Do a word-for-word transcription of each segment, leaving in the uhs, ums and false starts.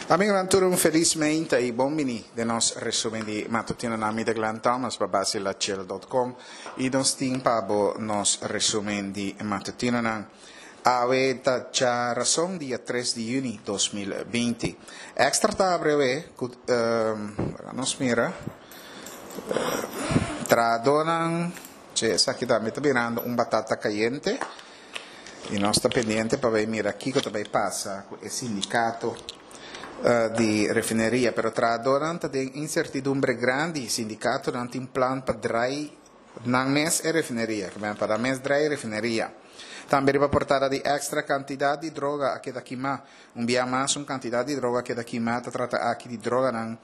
Amigonan tur un felis meinta y bon bini den nos resumen di matutino na mi ta Glenn Thomas pa basilachill dot com y nos tin pa bo nos resumen di matutinonan. Awe ta djarason dia tres di juni dos mil binti. Extra ta abre awe cu nos mira trahadonan che esaki tambe ta birando un batata cayente y nos ta pendiente pa bay mira kico ta bay pasa cu e sindicato di refineria. Pero trahadornan ta den incertidumbre grandi. Sindicatonan tin plan pa draai nan mes e refineria, ke men pa nan mes draai e refineria. Tambe riba portada di Extra cantidad di droga a keda kima. Un bia mas un cantidad di droga a keda kima. Ta trata aki di droganan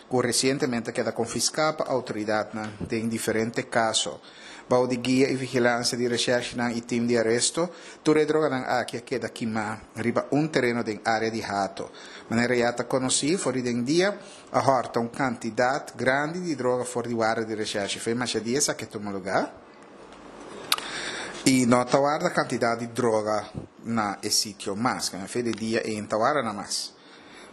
cu recientemente a keda confisca pa autoridadnan den diferente caso. Bou di guia y vigilancia di recherchenan y team di aresto, tur e droganan aki a keda kima riba un tereno den area di Hato. Manera ya ta conoci, for di den dia a horta un cantidad grandi di droga for di warda di recherche. Fe masha dia esaki a tuma lugar y no ta warda cantidad di droga na e sitio mas. Fe di dia e ta warda na mas.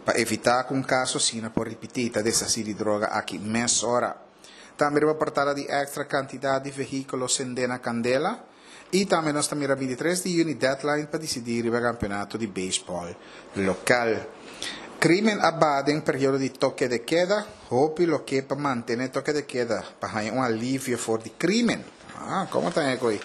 Pa evita cu un caso asina por ripiti, ta deshaci di droga aki mesora. Tambe riba portada di Extra cantidad di vehiculo sende na candela. Y tambe nos ta mira bintitres di juni deadline pa dicidi riba campeonato di baseball local. Crimen a baha den periodo di toque de queda. Hopi lo ke pa mantene toque de queda pa haña un alivio for di crimen. Ah, como ta e coi?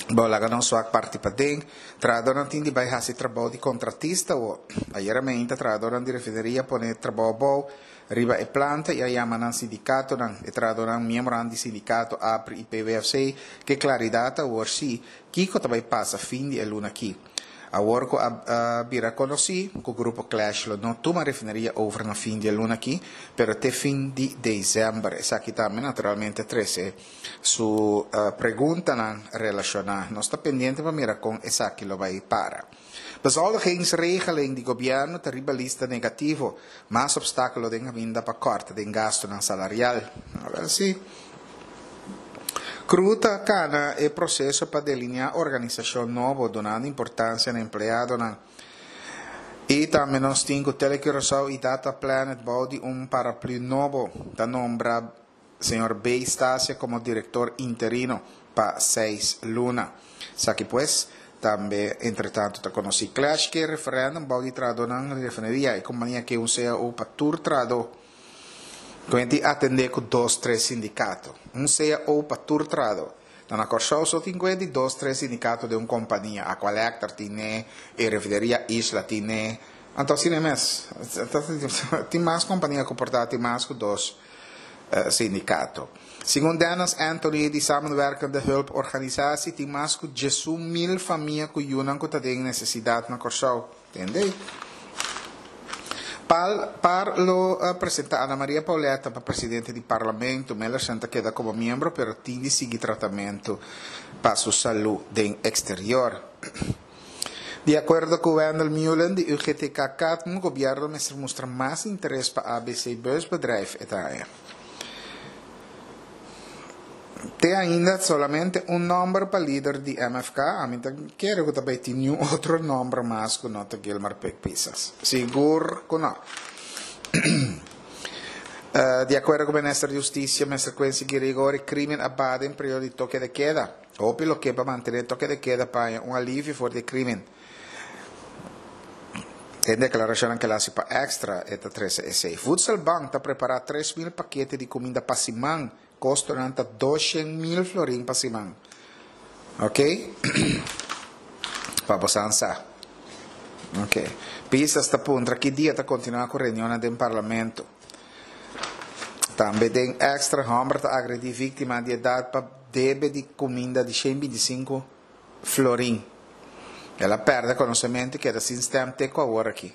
Bo laga nos wak parti paden. Trahadornan tin di bai hasi trabou di kontratista o ayera meinta trahadornan di refineria pone trabou abou riba e planta i a yama nan sindikatonan. E trahadornan miembronan di sindikato APRI i P W F C ke klaridat awor si kiko ta bai pasa fin di e luna aki. Awor ku a bira konosí ku grupo Clash lo no tuma refineria over na fin di e luna aki, pero te fin di desèmber. Esaki tambe naturalmente trese su preguntanan relashoná. Nos ta pendiente pa mira kon esaki lo bai para. Bezoldigingsregeling di gobièrnu ta riba lista negativo. Mas obstákulo den kaminda pa kòrta den gastunan salarial. Awèl si. Cru ta kana e proseso pa delineá organisashon nobo, dunando importansia na empleadonan. I tambe nos tin ku TeleCuraçao i Data Planet bou di un paraplü nobo. Ta nombra señor B. Stasia komo direktor interino pa seis luna. Esaki pues, tambe entretantu ta konosí. Clash ke referèndum bou di trahadónan di refineria. E kompania ke un C A O pa tur trahadó. Kuenti atendé ku dos tres sindikato. Un C A O pa tur trahadó. Na na Kòrsou so tin kuenti dos tres sindikato den un kompania. Aqualectra tine, e refineria Isla tine. Anto asina mes. Tin mas kompania ku por ta tin mas ku dos sindikato. Segun Dennis Anthony di Samenwerkende Hulp Organisatie tin mas ku diesun mil famia ku yunan ku ta den nesesidat na Kòrsou. Tende? Pal, par lo presenta Ana Maria Pauletta pa presidente di Parlamento. Millercent ta keda komo miembro, pero tin di sigui tratamentu pa su salú den exterior. Di akuerdo ku Wendell Meulen di U G T K Katmu, gobièrnu mester mustra mas interes pa A B C Busbedrijf e ta haña. Te ainda solamente un nòmber pa lider di M F K. Ami ta kere ku ta bai tin niun otro nòmber mas ku no ta Gilmar Pik Pisas. Sigur ku no. Eh, di akuerdo ku minister di Hustisia, Mister Quincy Girigorie, krimen a baha den periodo di toke de keda. Hopi lo ke pa mantené toke de keda pa haña un alivio for di e krimen. Den deklarashonnan ke el hasi pa Extra, e ta trese esei. Voedselbank ta prepará tres mil pakete di kuminda pa siman. Kostonan ta doshen mil florin pa siman. Ok? Pa bo san sa. Ok. Pisas ta puntra ki dia ta kontinuá ku reunionnan den parlamento. Tambe den Extra, hòmber ta agredí víktima di edat pa debe di kuminda di shen binti sinku florin. El a pèrdè konosementu i keda sin stèm te ku awor aki.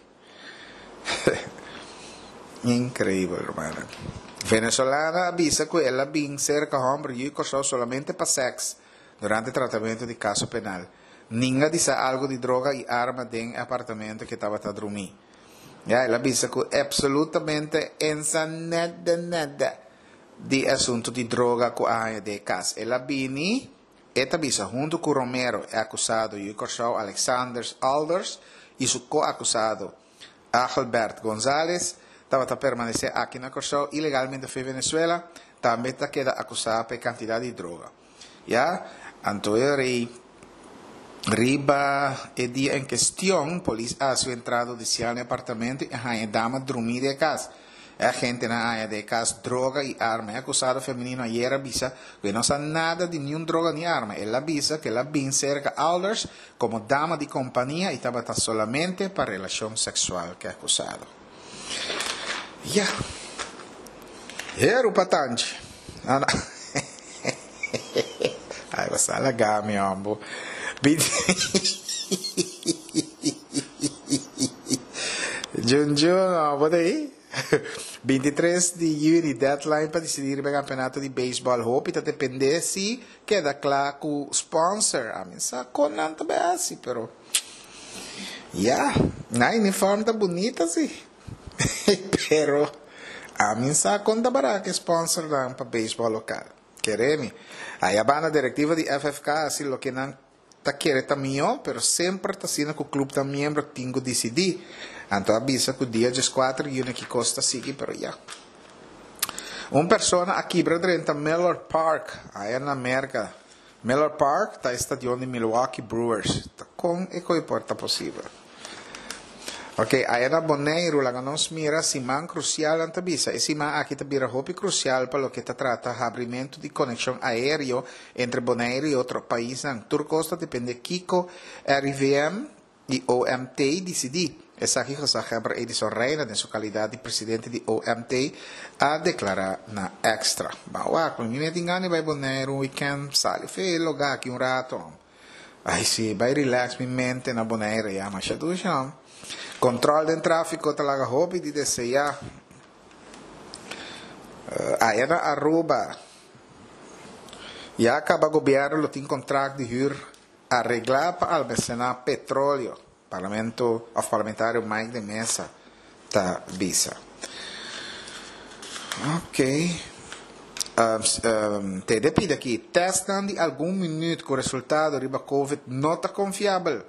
Increíble, hermano. Venezolana a bisa ku el a bin serka hòmber yu i Kòrsou solamente pa sèks durante tratamentu di kaso penal. Ninga di sa algu di droga i arma den e apartamento ku e tabata drumí. Ya, el a bisa ku absolutamente ensa nada nada di e asuntu di droga ku a haña den e kas. El a bini, e ta bisa, huntu ku Romero, e akusado yu i Kòrsou Alexanders Alders i su ko-akusado Agelbert Gonzalez tabata permanesé aki na Kòrsou ilegalmente for di Venezuela, tambe ta keda akusá pa kantidat di droga. Ya, anto rei riba e dia en kuestion, polis a hasi entrada hudisial na apartamento i a haña dama drumí den kas. E agentenan a haña den kas droga i arma. E akusado femenino ayera a bisa ku no sa nada di ningun droga ni arma. El a bisa ku el a bin serka Alders komo dama di kompania i tabata solamente pa relashon seksual ku e akusado. Ya. Heru patanchi. Ah, no. Ai, basta laga mi, hombo. Jun Jun, no, ei? bintitres di yüni, deadline pa disidí e kampeonato di beisbòl. Hopi ta dependé si keda kla ku sponsor. Ami sa kon nan ta asina, pero ya, na uniform ta bunita si. Pero ami sa kon ta bara ku sponsor dan pa beisbòl lokal. Kere mi. Aya banda direktiva di F F K asina loke nan ta kere ta mihó, pero semper ta asina ku klup ta miembro tin ku disidí. Anto a bisa ku dia dieskuater yüni ku kos ta sigui, pero ya. Un persona a kibra drenta Miller Park, aya na Amérika. Miller Park ta stadion di Milwaukee Brewers. Ta kon e kos por ta posibel? Ok, aya na Boneiru, laga nos mira siman krusial nan ta bisa. E siman aki ta bira hopi krusial pa loke ta trata habrimentu di konekshon aéreo entre Boneiru i otro paisnan. Tur kos ta dependé kiko R I V M i O M T disidí. Esaki gezaghebber Edison Reina, den su kalidat di presidente di O M T, a deklará na Extra. Bawa, ku mi tin gana bai Boneiru weekend, sali fe lugá aki un ratu. Ai si, bai relax mi mente na Boneiru, ya, mas ya. Control di tráfiko ta laga hopi di deseá. Uh, aya na Aruba. Ya kaba gobièrnu lo tin kontrakt di huur reglá pa almasená petroleo. Parlamento, òf parlamentario Mike de Meza ta bisa. Ok. Um, um, T D aki, tèst di algun minüt ku resultado riba COVID no ta konfiabel.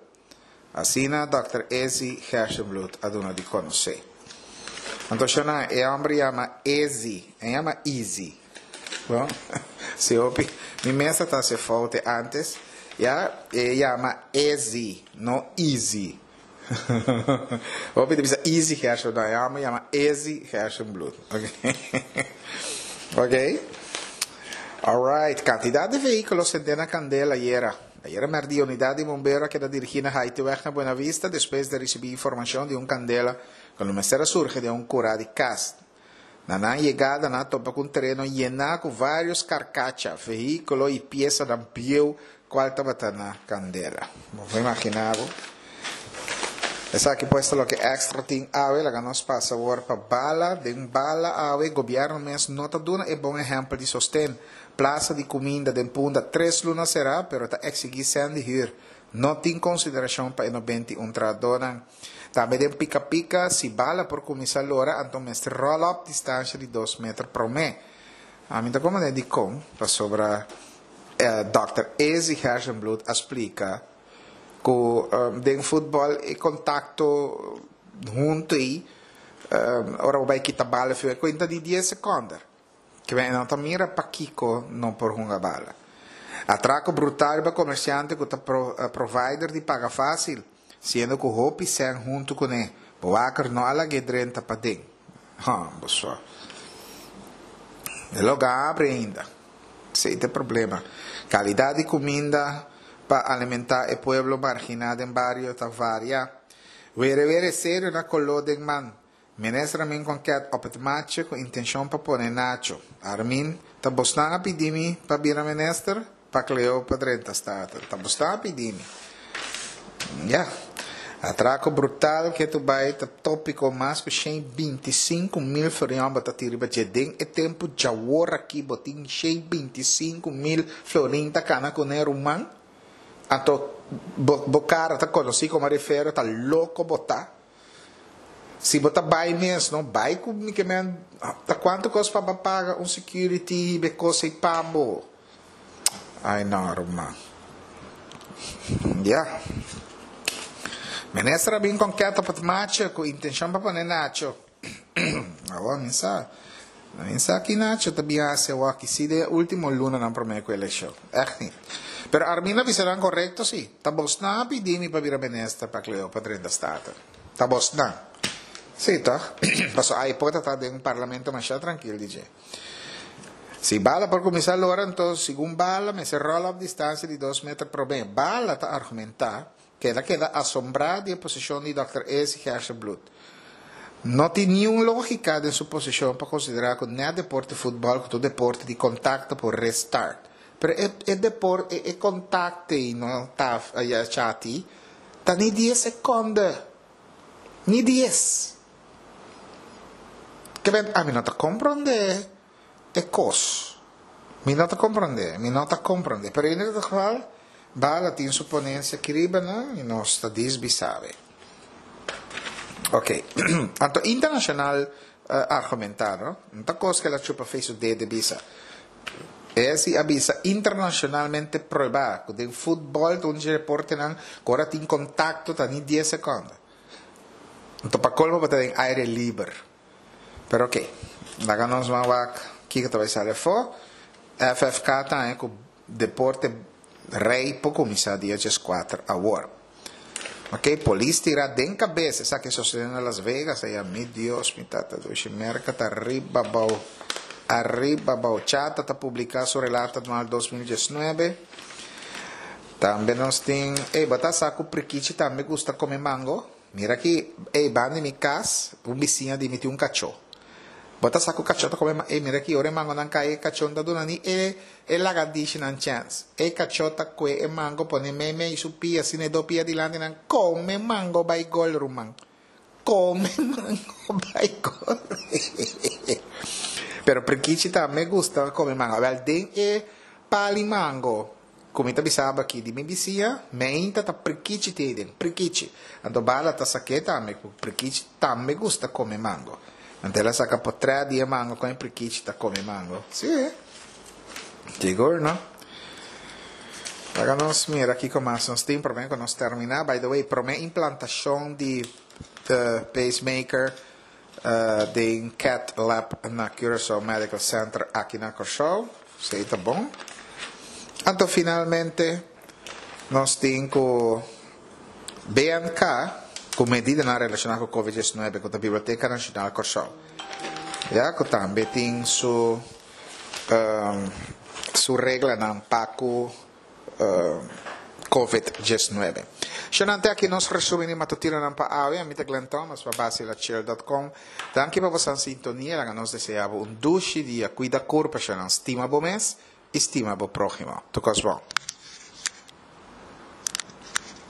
Asina Doctor Ezi Gerstenbluth a duna di konosé. Anto, e hòmber yama Ezi, e yama Easy. Bon, si hopi, mi mes ta hasi fout antes, ya, e yama Ezi, no Easy. Hopi ta bisa Easy Gerstenbluth, e yama yama Ezi Gerstenbluth. Ok. Ok. Alright, kantidat di vehíkulo sendé na kandela ayera. Ayera mèrdia, unidat di bombero a keda dirigí na Haitiweg na Buena Vista despues di risibí informashon di un kandela ku mester a surgi di un kurá di kas. Na nan yegada, nan a topa ku un tereno yená ku vários karkacha, vehíkulo i piesa di bieu kual tabata na kandela. Bo imaginá. Esaki pues loke Extra tin awe, laga nos pasa awor pa Bala, den Bala awe, gobièrnu mes no ta duna e bon ehèmpel di sosten. Plasa di kuminda den Punda tres luna será, pero ta eksigí sèn di huur. No tin konsiderashon pa e nobenta i un trahadónan. Tambe den Pika Pika, si bala por kuminsá lora, anto mester roll up distansia di dos meter promé. Ami ta komo di kon, pasobra eh, Doctor Ezi Gerstenbluth a splika ku um, den futbòl e kontakto huntu ei um, ora bai kita bala fi kuenta di dies sekonde. Ke men no ta mira pakiko no por hunga bala. Atrako brutal pa komersiante ku ta pro, uh, provider di Paga Fásil, siendo ku hopi sèn huntu kuné. Bewaker no a lag'é drenta paden. Ha, pessoal. E lugá habri ainda. Esei ta e problema. Kalidat di kuminda pa alimentá e pueblo marginá den bario ta varia. Were were serio na koló den man. Minister Armin Konket op het matje ku intenshon pa pone Nacho. Armin, ta bosnan a pidi mi pa bira minister? Pa Cleo pa drenta Staten. Ta bosnan a pidi mi. Ja. Atrako brutal ku tu bai ta tópiko mas ku shen bintisinku mil florin bo ta tira riba den e tempu djawor aki bo tin shen bintisinku mil florin ta kana kuné, ruman. Anto bo, bo kara ta konosí komo refero, ta loko bo ta. Si bo ta bai mes, no bai ku mi ke men ta kuantu kos pa paga un security be kos e pabo. Ai no, ruman. Ja. Minister a bin konkreto pa macho ku intenshon pa pone Nacho. Awor, mi sa. Mi sa ku Nacho ta bin hasi awor si den último lunanan promé ku elekshon. Echt niet. Pero Arminda a bisa nan korekto si. Ta bosnan a pidi mi pa bira minister pa Cleo pa drenta Staten. Ta bosnan. Si, toch? Paso ai por ta den parlamento masha trankil D J. Si bala por kuminsá lora, anto segun bala, mester rol op distansia di dos meter promé. Bala ta argumentá ku el a keda asombrá di e posishon di Dòkter Izzy Gerstenbluth. No tin ningun lógika den su posishon pa konsiderá ku net deporte futbòl, ku tur deporte di kontakto por restart. Pero e, e deporte, e, e kontakto no ta ya chati, ta ni dies sekonde. Ni dies. Ke men, ami no ta komprondé e kos. Mi no ta komprondé, mi no ta komprondé. Pero in ieder geval, Bala tin su ponensia aki riba, no? I nos ta disbisabe. Ok. Anto internashonal uh, argumentá, no? No ta kos ku el a chupa fo'i su dede bisa. Esei a bisa internashonalmente probá ku den futbòl un deportenan ku ora tin kontakto ta ni dies sekonde. Anto pa kolmo ta den aire liber. Pero ok. Laga nos ban wak kiko ta bai sali afó. F F K ta ku deporte rei por kuminsá dia dieskuater awor. Ok, polis tira den kabes, esaki a sosodé na Las Vegas, ei, mi Dios, mi tata, dushi, Merka ta ariba abou, ariba abou. CHATA ta publiká su relato anual dos mil diesnuebe. Tambe nos tin, ei, bo ta sa ku prikichi tambe gusta kome mango? Mira aki, ei, banda di mi kas, un bisiña di mi tin un kachó. Bo ta sa ku kachó ta kome, ei, mira aki, ora e mangonan kai, e kachó no ta duna ni e, e lagadishinan chèns. E kachó ta kue e mango pone meimei su pia, asina e dos pia dilanti nan, kome mango bai gol, ruman. Kome mango bai gol. Pero prikichi tambe gusta kome mango. Wèl, den e pal'i mango, ku mi ta bisabo aki di mi bisiña, meinta ta prikichi tin den, prikichi. Anto Bala ta sak'é tambe, ku prikichi tambe gusta kome mango. Anto el a saka potrèt di e mango kon e prikichi ta kome mango. Sí, sigur, no? Laga nos mira kiko mas nos tin promé ku nos terminá. By the way, promé implantashon di pacemaker uh, den Cath Lab na Curaçao Medical Center aki na Kòrsou. Esei ta bon. Anto finalmente nos tin ku B N K ku medidanan relashoná ku COVID diesnuebe ku e Biblioteka Nashonal Kòrsou. Ya ku tambe tin su um, su reglanan pa ku uh, COVID diesnuebe. Shonnan, te aki nos resumí matutinonan pa awe, ami ta Glenn Thomas pa basilachill punto com. Danki pa boso sintonia, laga nos deseá un dushi dia, kuida kurpa, shonnan, stima bo mes, i stima bo próhimo. Tur kos bon.